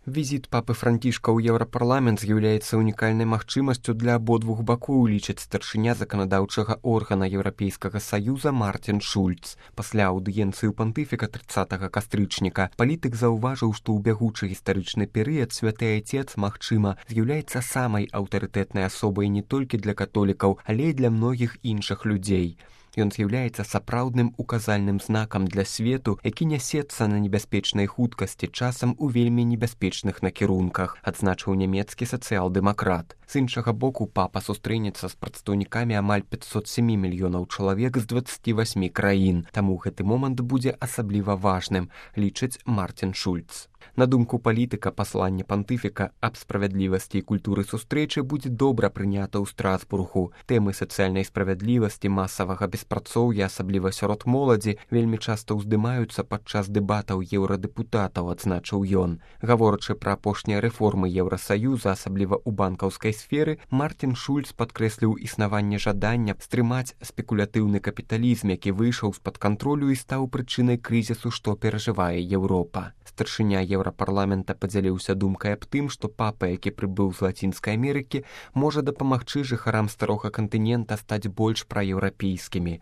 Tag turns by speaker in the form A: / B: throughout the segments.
A: Візіт папы Францішка ў Еўрапарламент з'яўляецца унікальнай магчымасцю для абодвух бакоў, лічыць старшыня заканадаўчага органа Еўрапейскага саюза Мартин Шульц. Пасля аўдыенцыі ў пантыфіка 30 кастрычніка палітык заўважыў, што ў бягучы гістарычны перыяд святы айцец, магчыма, з'яўляецца самай аўтарытэтнай асобай не толькі для католікаў, але і для многіх іншых людзей. Ён з'яўляецца сапраўдным указальным знакам для свету, які нясецца на небяспечнай хуткасці, часам у вельмі небяспечных накірунках, адзначыў нямецкі сацыял-дэмакрат. З іншага боку, папа сустрэнецца з прадстаўнікамі амаль 507 мільёнаў чалавек з 28 краін, таму гэты момант будзе асабліва важным, лічыць Мартин Шульц. На думку палітыка, пасланне пантыфіка аб справядлівасці і культуры сустрэчы будзе добра прынята ў Страсбургу. Тэмы сацыяльнай справядлівасці, масавага беспрацоўя, асабліва сярод моладзі, вельмі часта ўздымаюцца падчас дэбатаў еўрадэпутатаў, адзначыў ён. Гаворачы пра апошнія рэформы Еўрасаюза, асабліва ў банкаўскай сферы, Мартин Шульц падкрэсліў існаванне жадання стрымаць спекулятыўны капіталізм, які выйшаў з-пад кантролю і стаў прычынай крызісу, што перажывае Еўропа. Старшыня Еўрапарламента падзяліўся думкай аб тым, што папа, які прыбыў з Лацінскай Амерыкі, можа дапамагчы жыхарам старога кантынента стаць больш праеўрапейскімі.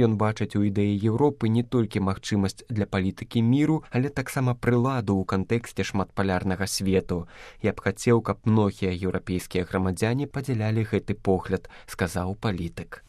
A: Ён бачыць у ідэі Еўропы не толькі магчымасць для палітыкі міру, але таксама прыладу ў кантэксце шматпалярнага свету. Я б хацеў, каб многія еўрапейскія грамадзяне падзялялі гэты погляд, сказаў палітык.